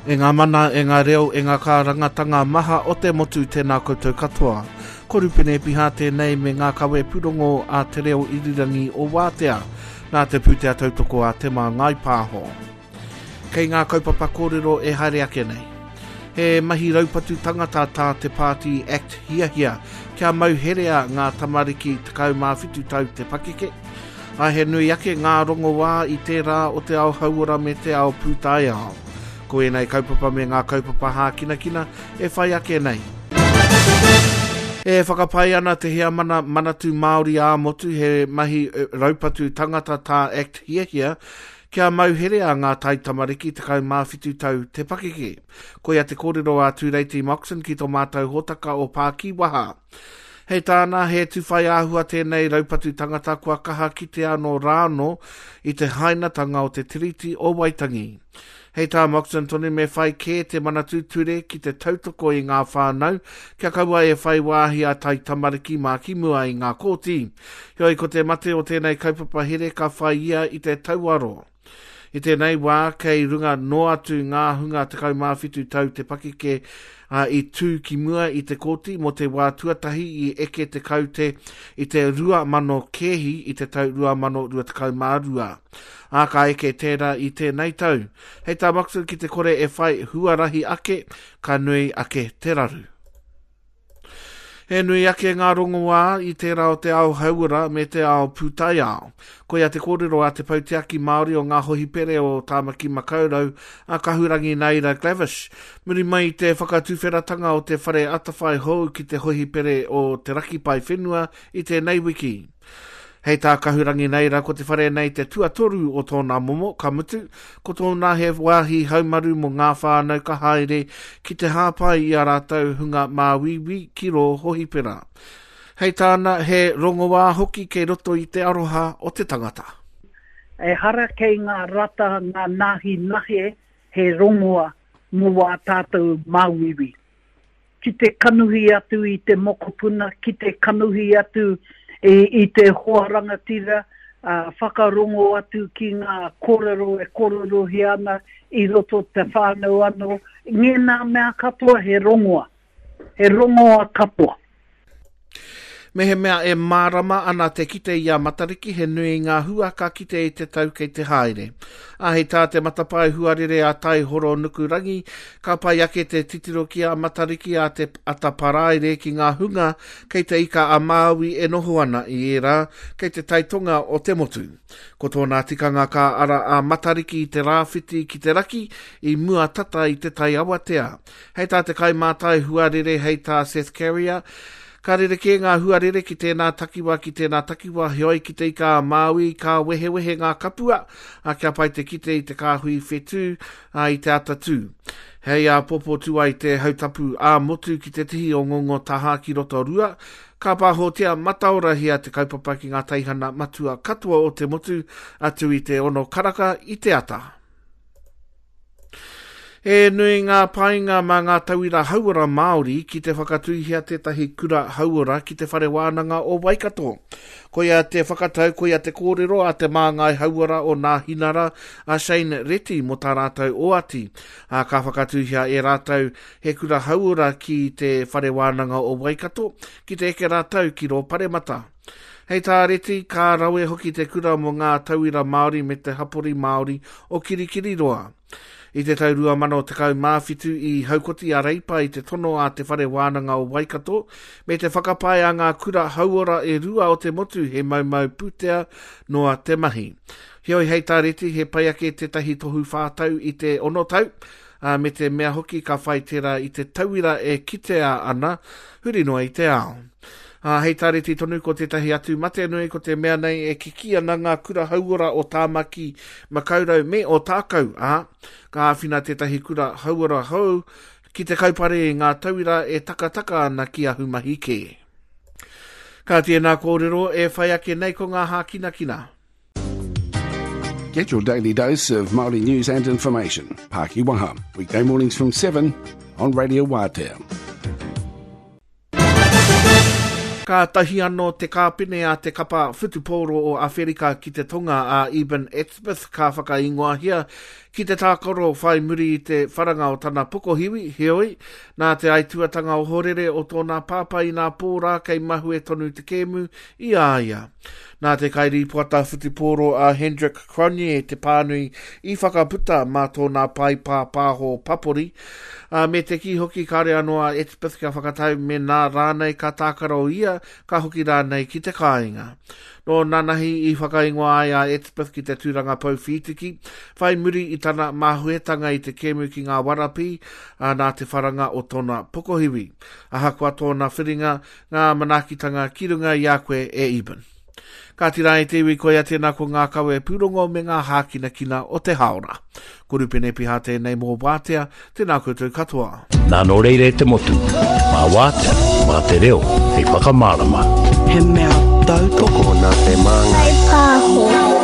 E ngā mana, e ngā reo, e ngā kārangatanga maha o te motu tēnā koutou katoa. Ko Rupene Piha tēnei me ngā kawe pūrongo a Te Reo Irirangi o Wātea, nā te pūtea tautoko a Te Māngai Pāho. Kei ngā kaupapa kōrero e haere ake nei. He mahi raupatu tangata tā te pāti act hiahia kia mau herea ngā tamariki 17 tau te pakeke, ā, he nui ake ngā rongoā i tērā o te ao hauora me te ao pūtaiao. Ko ēnei kaupapa me ngā kaupapa hākinakina e whai ake nei. E whakapae ana te Heamana Manatū Māori ā-Motu he mahi raupatu tangata tā act hiahia Kia mauherea ngā taitamariki 17 tau te pakeke. Koia te kōrero a Tūreiti Moxon ki tō mātou hōtaka o Pākīwaha. Hei tāna, he tuwhai āhua tēnei raupatu tangata kua kaha kitea anō rānō i te hainatanga o te Tiriti o Waitangi. Hei tā Moxon tonu me whai kē te Manatū Ture ki te tautoko i ngā whānau kia kaua e whai wāhi a taitamariki mā ki mua i ngā kōti. Heoi ko te mate o tēnei kaupapa here ka whai ia i te tauaro. I tēnei wā kei runga noa atu ngā hunga 17 tau te pakeke ā, i tū ki mua i te kōti mō te wā tuatahi i eke te kaute i te 2,000 kēhi i te tau 2022. Ā, ka eke tērā i tēnei tau. Hei tā Moxon ki te kore e whai huarahi ake, ka nui ake te raru. He nui ake ngā rongoā i tērā o te ao hauora me te ao pūtaiao. Koia te kōrero a te Poutiaki Māori o Ngā Hohipere o Tāmaki Makaurau, a Kahurangi Naida Glavish, muri mai i te whakatuwheratanga o te whare atawhai hou ki te hohipere o Te Raki Paewhenua i tēnei wiki. Hei tā Kahurangi Neira, ko te whare nei te tuatoru o tōna momo, ka mutu, ko tōna he wāhi haumaru mō ngā whānau ka haere ki te hāpai i a rātou hunga māuiui ki rō hohipera. Hei tāna, he rongoā hoki kei roto i te aroha o te tangata. Ehara kei ngā rata ngā nāhi nahe he rongoa mō wā tātou māuiui. ki te kanuhi atu i te mokopuna, ki te kanuhi atu i te hoa rangatira, whakarongo atu ki ngā kōrero e kōrerohia ana i roto te whānau anō, ngēnā mea katoa he rongoa, he rongoa katoa. Mehemea e mārama ana te kite i a Matariki, he nui ngā hua ka kite i te tau kei te haere. Ā, hei tā te matapae huarere a Taihoro Nukurangi, ka pai ake te titiro ki a Matariki a te ata paraire ki ngā hunga kei te Ika a Māui e noho ana i ērā kei te taitonga o te motu. Ko tōna tikanga ka ara a Matariki i te rāwhiti ki te raki i mua tata i te tai awatea. Hei tā te kaimātai huarere hei tā Seth Carrier, Ka rerekē ngā huarere ki tēnā takiwā ki tēnā takiwā, heoi ki te Ika a Māui ka wehewehe ngā kapua, ā, kia pai te kite i te kāhui whetū, ā, i te atatū. Hei āpōpō tū ai te hautapu ā-motu ki te tihi o Ngongotahā ki Rotorua, ka pāhotia mataorahia te kaupapa ki ngā teihana matua katoa o te motu atu i te ono karaka i te ata. He nui ngā painga mā ngā tauira hauora Māori ki te whakatūhia tētahi kura hauora ki Te Whare Wānanga o Waikato. Koia te whakatau, koia te kōrero a te māngai hauora o Nāhinara, a Shane Reti mō tā rātou oati, ā, ka whakatūhia e rātou he kura hauora ki Te Whare Wānanga o Waikato, ki te eke rātou ki rō paremata. Hei tā Reti, ka rawe hoki te kura mō ngā tauira Māori me te hapori Māori o Kirikiriroa. I te tau 2017 i haukoti a Reipa i te tono a Te Whare Wānanga o Waikato me te whakapae a ngā kura hauora e rua o te motu he maumau pūtea noa te mahi. Heoi hei tā Reti he pai ake tētahi tohu whātau i te ono tau, ā, me te mea hoki ka whai tērā i te tauira e kitea ana huri noa i te ao. Ā, hei tā Reti tonu ko tētahi atu mate nui ko te mea nei e kikī ana ngā kura hauora o Tāmaki Makaurau me Ōtākou, ā, ka āwhina tētahi kura hauora hou ki te kaupare i ngā tauira e takataka ana ki ahumahi kē. Ka tēnā kōrero e whai ake nei ko ngā hākinakina. Get your daily dose of Māori news and information. Pākiwaha, weekday mornings from 7 on Radio Wātea. Kātahi anō te kāpene a te kapa whutupōro o Awherika ki te Tonga a Eben Etzebeth ka whakaingoahia Ki te tākaro whai muri i te wharanga o tana pokohiwi, heoi, nā te aituatanga ohorere o tōna pāpā inā pō rā kei mahue tonu te kēmu i a ia. Nā te kairīpoata whutupōro a Hendrik Cronje te pānui i whakaputa mā tōna pae pāpāho papori, ā, me te kī hoki kāore anō a Etzebeth kia whakatau mēnā rānei ka tākaro ia, ka hoki rānei ki te kāinga. Nō nanahi i whakaingoa ai a Etzebeth ki te tūranga pou whītiki, whai muri i tana māhuetanga i te kēmu ki ngā Warapī, ā, nā te wharanga o tōna pokohiwi. Ahakoa tōna whiringa, Ngā manaakitanga ki runga i a koe e Eben. Kāti rā e te iwi koia tēnā ko ngā kawe pūrongo me ngā hākinakina o te hāora. Ko Rupene Piha tēnei mō Wātea, tēnā koutou katoa. Nā nō reira e te motu, mā Wātea, mā te reo hei whakamārama. He mea tautoko. Tokona te māngai. Whai pāho.